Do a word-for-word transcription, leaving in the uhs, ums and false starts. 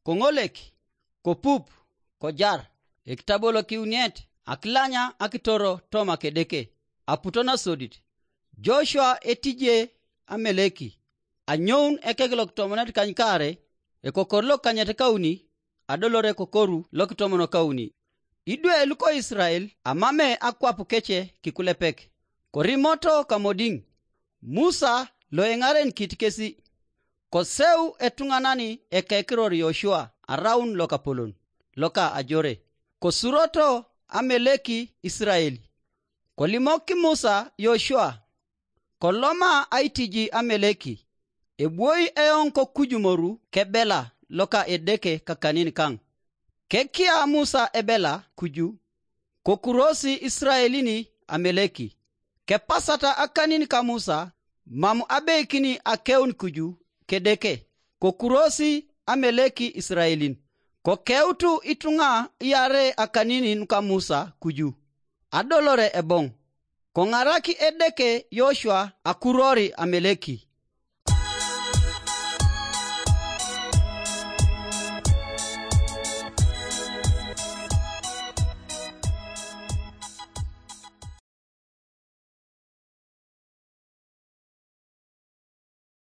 koŋolek, kopup, kojar. Ekitabo lokiuniet, akilanya akitoro toma kedeke. Aputo nasodit, Joshua etije Ameleki. Anyoun ekek lokitomonet kanykaare, ekokor lokanyet kauni, adolore kokoru lokitomon kauni. Idwe luko Israel amame akwap kece kikulepek, korimoto kamodiŋ. Musa lo eŋarenikit kesi, koseu etuŋanan ekekiror Yoshua araun lokapolon, loka ajore. Kosuroto Ameleki Israel. Kolimok Musa Yoshua, koloma aitiji Ameleki, ebwoi eoŋ kokuju moru kebela loka Edeke kakanin kaŋ. Kekia Musa ebela kuju, kokurosi Israelin Ameleki. Kepasata akanin ka Musa, mam abeikini akeun kuju kedeke, kokurosi Ameleki Israelin. Kokeutu ituŋa iarei akanin nuka Musa kuju, adolore eboŋ. Koŋaraki Edeke Yoshua akurori Ameleki.